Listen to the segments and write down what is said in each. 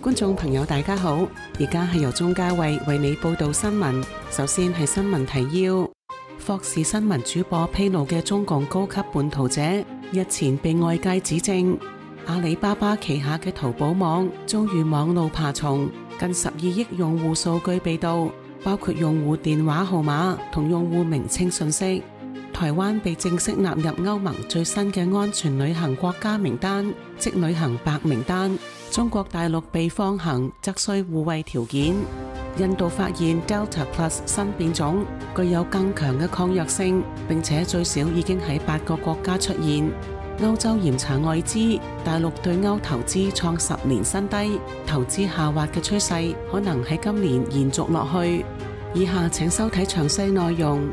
觀眾朋友大家好，而家係由鍾嘉慧為你報道新聞。首先係新聞提要：霍士新聞主播披露嘅中共高級叛徒者，日前被外界指證阿里巴巴旗下嘅淘寶網遭遇網路爬蟲，近12億用戶數據被盜，包括用戶電話號碼同用戶名稱信息。台灣被正式納入歐盟最新嘅安全旅行國家名單，即旅行白名單。中國大陸被放行則需護衛條件。印度發現 Delta Plus 新變種具有更強嘅抗藥性，並且最少已經喺8個國家出現。歐洲嚴查外資，大陸對歐投資創10年新低，投資下滑嘅趨勢可能喺今年延續落去。以下請收睇詳細內容。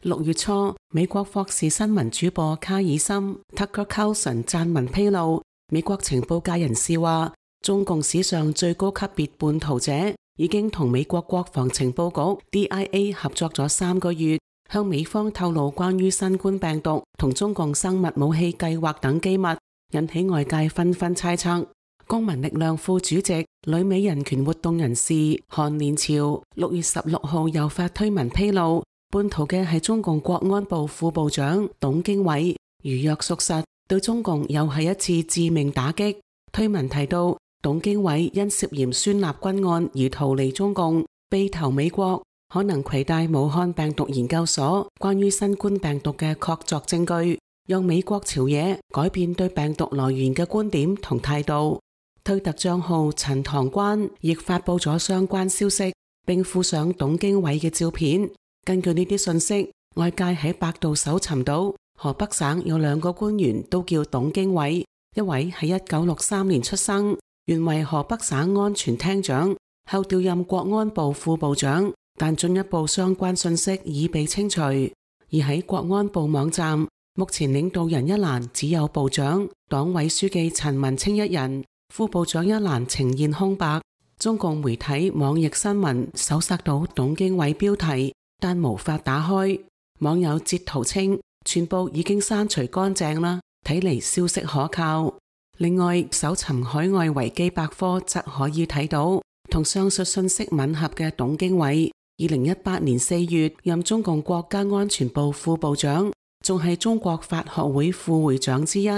6月初，美國霍士新聞主播卡爾森 Tucker Carlson 撰文披露，美國情報界人士話，中共史上最高級別叛徒者已經同美國國防情報局 DIA 合作咗3個月，向美方透露關於新冠病毒同中共生物武器計劃等機密，引起外界紛紛猜測。公民力量副主席、旅美人權活動人士韓連朝6月16號又發推文披露，叛徒嘅係中共國安部副部長董經緯，如若屬實，對中共又係一次致命打擊。推文提到，董經緯因涉嫌孫立軍案而逃離中共，被投美國，可能攜帶武漢病毒研究所關於新冠病毒嘅確鑿證據，讓美國朝野改變對病毒來源嘅觀點同態度。推特賬號陳塘關亦發佈咗相關消息，並附上董經緯嘅照片。根據呢啲信息，外界喺百度搜尋到河北省有2個官員都叫董經緯，一位喺1963年出生，原為河北省安全廳長，後調任國安部副部長，但進一步相關信息已被清除。而喺國安部網站，目前領導人一欄只有部長、黨委書記陳文清一人，副部長一欄呈現空白。中共媒體網易新聞搜索到董經緯標題，但無法打開。網友截圖稱，全部已經刪除乾淨啦，睇嚟消息可靠。另外，搜尋海外維基百科則可以睇到，同上述信息吻合嘅董經緯，2018年4月任中共國家安全部副部長，仲係中國法學會副會長之一。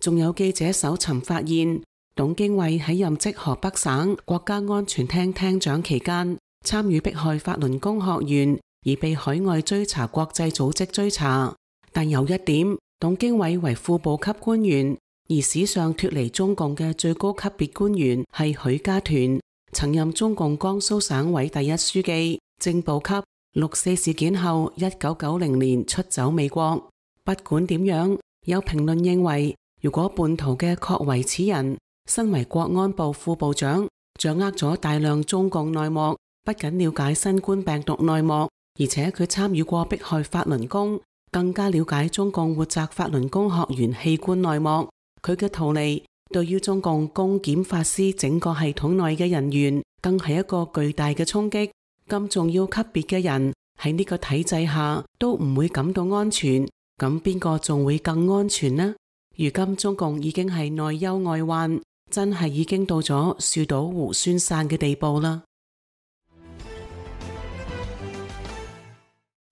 仲有記者搜尋發現，董經緯喺任職河北省國家安全廳廳長期間，參與迫害法輪功學員，而被海外追查國際組織追查。但有一點，董經緯為副部級官員，而史上脫離中共嘅最高級別官員係許家屯，曾任中共江蘇省委第一書記、正部級。6.4事件後，1990年出走美國。不管點樣，有評論認為，如果叛徒嘅確為此人，身為國安部副部長，掌握咗大量中共內幕，不僅了解新冠病毒內幕，而且佢參與過迫害法輪功，更加了解中共活摘法輪功學員器官內幕。佢嘅逃離對於中共公檢法司整個系統內嘅人員，更係一個巨大嘅衝擊。咁重要級別嘅人喺呢個體制下都唔會感到安全，咁邊個仲會更安全呢？如今中共已經係內憂外患，真係已經到咗樹倒猢猻散嘅地步啦。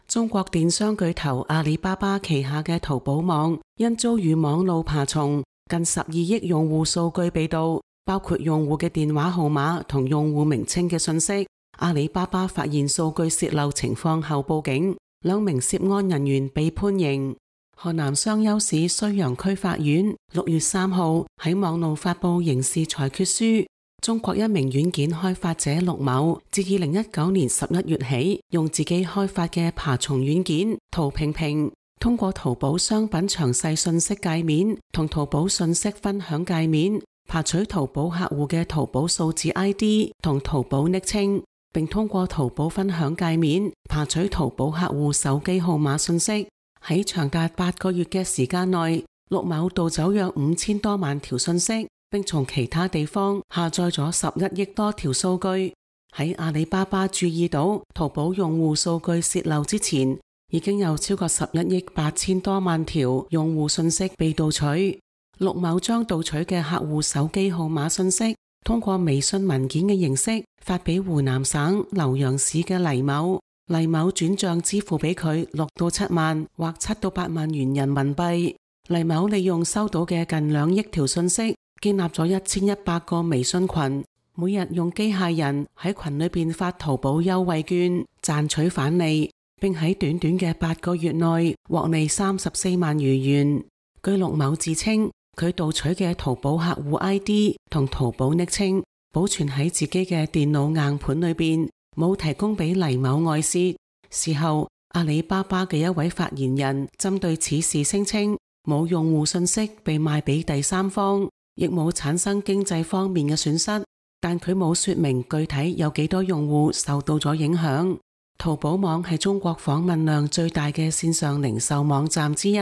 中國電商巨頭阿里巴巴旗下嘅淘寶網因遭遇網路爬蟲，近12億用戶數據被盜，包括用戶嘅電話號碼同用戶名稱嘅信息。阿里巴巴發現數據洩漏情況後報警，2名涉案人員被判刑。河南商丘市睢陽區法院6月3號喺網路發布刑事裁決書。中國一名軟件開發者陸某，自2019年11月起，用自己開發嘅爬蟲軟件淘平平，通過淘寶商品詳細信息界面同淘寶信息分享界面，爬取淘寶客戶嘅淘寶數字 ID 同淘寶昵稱，並通過淘寶分享界面爬取淘寶客戶手機號碼信息。喺長達8個月嘅時間內，陸某盜走約5000多萬條信息，並從其他地方下載咗11億多條數據。喺阿里巴巴注意到淘寶用戶數據洩漏之前，已經有超過11億8千多萬條用戶信息被盜取。陸某將盜取嘅客戶手機號碼信息通過微信文件嘅形式發俾湖南省瀏陽市嘅黎某，黎某轉賬支付俾佢6到7萬或7到8萬元人民幣。黎某利用收到嘅近2億條信息，建立咗1100個微信群，每日用機械人喺群裏邊發淘寶優惠券賺取返利，並喺短短嘅8個月內獲利34萬餘元。據陸某自稱，佢盜取嘅淘寶客戶 ID 同淘寶昵稱保存喺自己嘅電腦硬盤裏邊，冇提供俾黎某外泄。事後，阿里巴巴嘅一位發言人針對此事聲稱，冇用戶信息被賣俾第三方，亦冇產生經濟方面嘅損失，但佢冇說明具體有幾多用戶受到咗影響。淘寶網係中國訪問量最大嘅線上零售網站之一。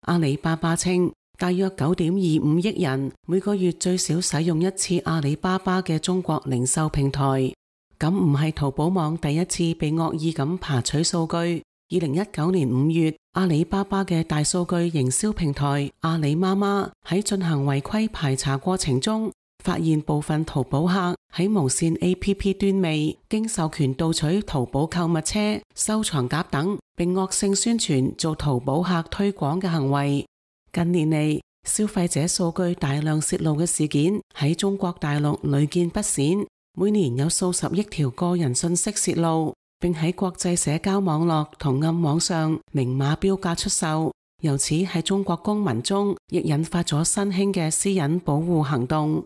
阿里巴巴稱，大約9.25億人每個月最少使用一次阿里巴巴嘅中國零售平台。咁唔係淘寶網第一次被惡意咁爬取數據。2019年5月，阿里巴巴嘅大數據營銷平台阿里媽媽喺進行違規排查過程中，發現部分淘寶客喺無線 APP 端未經授權盜取淘寶購物車、收藏夾等，並惡性宣傳做淘寶客推廣嘅行為。近年嚟，消費者數據大量泄露嘅事件喺中國大陸屢見不鮮，每年有數十億條個人信息泄露，並喺國際社交網絡同暗網上明碼標價出售，由此喺中國公民中亦引發咗新興嘅私隱保護行動。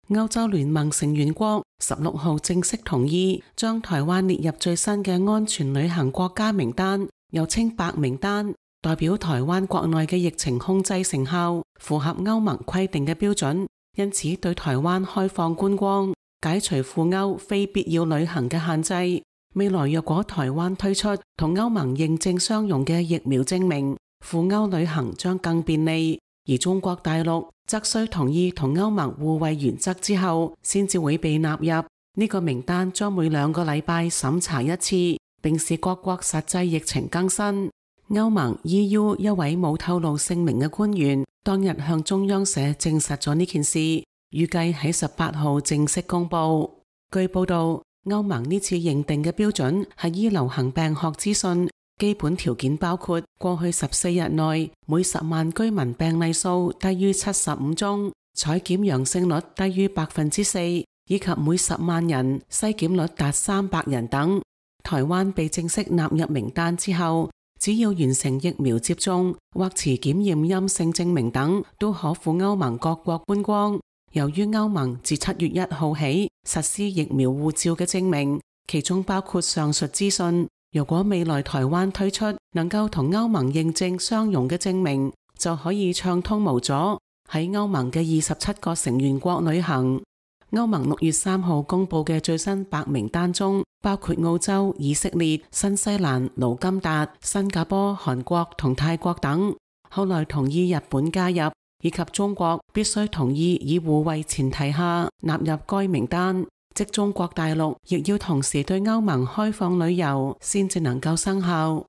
歐洲聯盟成員國16號正式同意將台灣列入最新嘅安全旅行國家名單，又稱白名單，代表台灣國內嘅疫情控制成效符合歐盟規定嘅標準，因此對台灣開放觀光，解除赴歐非必要旅行嘅限制。未來若果台灣推出同歐盟認證相容嘅疫苗證明，赴歐旅行將更便利。而中國大陸則需同意同歐盟互惠原則之後，先至會被納入呢個名單，將每2個禮拜審查一次，並視各國實際疫情更新。歐盟 EU 一位冇透露姓名嘅官員當日向中央社證實咗呢件事，預計喺18號正式公布。據報道，歐盟呢次認定嘅標準係依流行病學資訊，基本條件包括過去14日內每10萬居民病例數低於75宗，採檢陽性率低於4%，以及每10萬人篩檢率達300人等。台灣被正式納入名單之後，只要完成疫苗接種或持檢驗陰性證明等，都可赴歐盟各國觀光。由於歐盟自7月1號起實施疫苗護照嘅證明，其中包括上述資訊。如果未來台灣推出能夠同歐盟認證相容嘅證明，就可以暢通無阻喺歐盟嘅27個成員國旅行。歐盟6月3號公布嘅最新白名單中，包括澳洲、以色列、新西蘭、盧甘達、新加坡、韓國同泰國等。後來同意日本加入，以及中國必須同意以互惠前提下納入該名單。即中國大陸亦要同時對歐盟開放旅遊，先至能夠生效。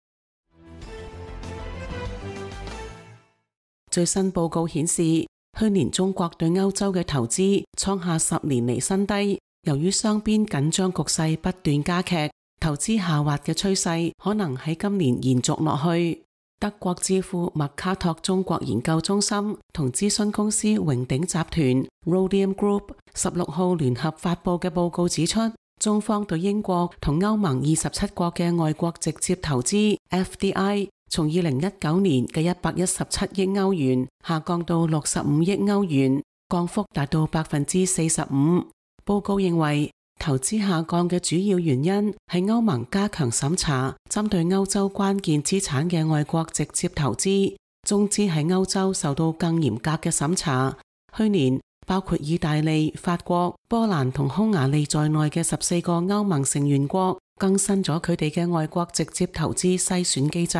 最新報告顯示，去年中國對歐洲嘅投資創下10年嚟新低。由於雙邊緊張局勢不斷加劇，投資下滑嘅趨勢可能喺今年延續落去。德國智庫麥卡托中國研究中心同諮詢公司榮鼎集團 Rhodium Group 16號聯合發佈嘅報告指出，中方對英國同歐盟27國嘅外國直接投資 FDI 從2019年嘅117億歐元下降到65億歐元，降幅達到45%。報告認為，投資下降嘅主要原因係歐盟加強審查針對歐洲關鍵資產嘅外國直接投資，中資喺歐洲受到更嚴格嘅審查。去年，包括意大利、法國、波蘭同匈牙利在內嘅14個歐盟成員國更新咗佢哋嘅外國直接投資篩選機制。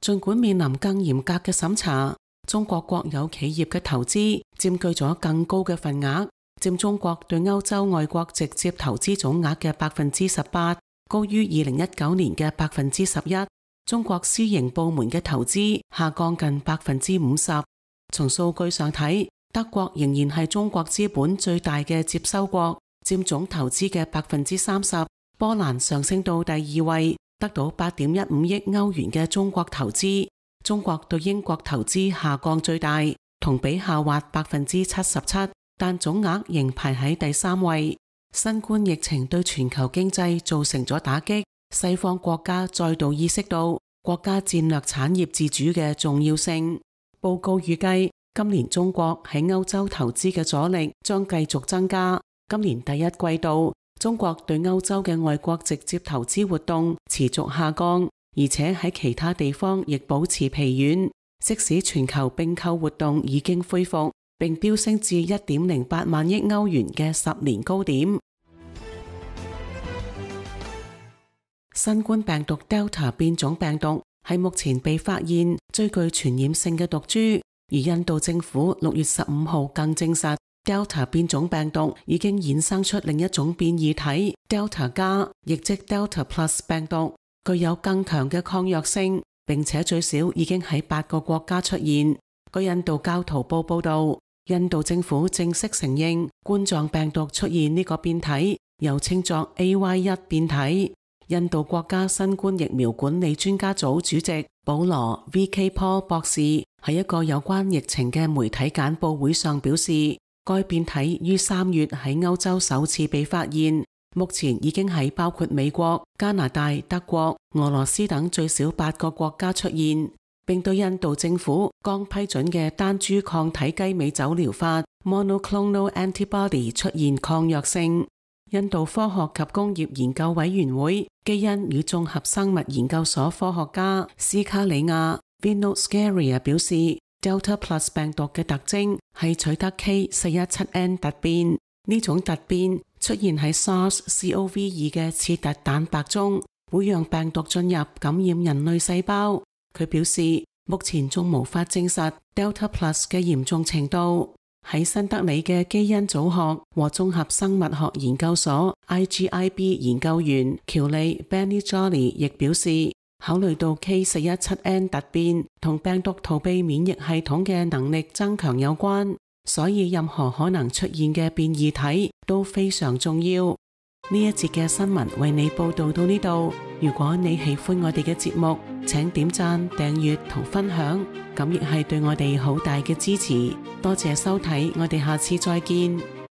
儘管面臨更嚴格嘅審查，中國國有企業嘅投資佔據咗更高嘅份額，佔中國對歐洲外國直接投資總額嘅18%，高於2019年嘅11%。中國私營部門嘅投資下降近50%。從數據上睇，德國仍然係中國資本最大嘅接收國，佔總投資嘅30%。波蘭上升到第2位，得到8.15億歐元嘅中國投資。中國對英國投資下降最大，同比下滑77%，但總額仍排喺第3位。新冠疫情對全球經濟造成咗打擊，西方國家再度意識到國家戰略產業自主嘅重要性。報告預計，今年中國喺歐洲投資嘅阻力將繼續增加。今年第一季度，中國對歐洲嘅外國直接投資活動持續下降，而且喺其他地方亦保持疲軟。即使全球併購活動已經恢復，並飆升至1.08萬億歐元嘅10年高點。新冠病毒 Delta 變種病毒係目前被發現最具傳染性嘅毒株，而印度政府6月15號更證實 Delta 變種病毒已經衍生出另一種變異體 Delta 加，亦即 Delta Plus 病毒，具有更強嘅抗藥性，並且最少已經喺8個國家出現。據印度教徒報報道，印度政府正式承認冠狀病毒出現呢個變體，又稱作 AY1 變體。印度國家新冠疫苗管理專家組主席保羅 V.K. Paul 博士喺一個有關疫情嘅媒體簡報會上表示，該變體於3月喺歐洲首次被發現，目前已經喺包括美國、加拿大、德國、俄羅斯等最少8個國家出現，並對印度政府剛批准嘅單株抗體雞尾酒療法 monoclonal antibody 出現抗藥性。印度科學及工業研究委員會基因與綜合生物研究所科學家斯卡里亞 Vinod Scaria 表示， Delta Plus 病毒嘅特徵係取得 K417N 突變，呢種突變出現喺 SARS-CoV-2 嘅刺突蛋白中，會讓病毒進入感染人類細胞。佢表示，目前仲無法證實 Delta Plus 嘅嚴重程度。喺新德里嘅基因組學和綜合生物學研究所 IGIB 研究員喬利 Benny Jolly 亦表示，考慮到 K417N 突變同病毒逃避免疫系統嘅能力增強有關，所以任何可能出現嘅變異體都非常重要。呢一節嘅新聞為你報道到呢度。如果你喜歡我哋嘅節目，請點讚、訂閱同分享，咁亦係對我哋好大嘅支持。多謝收睇，我哋下次再見。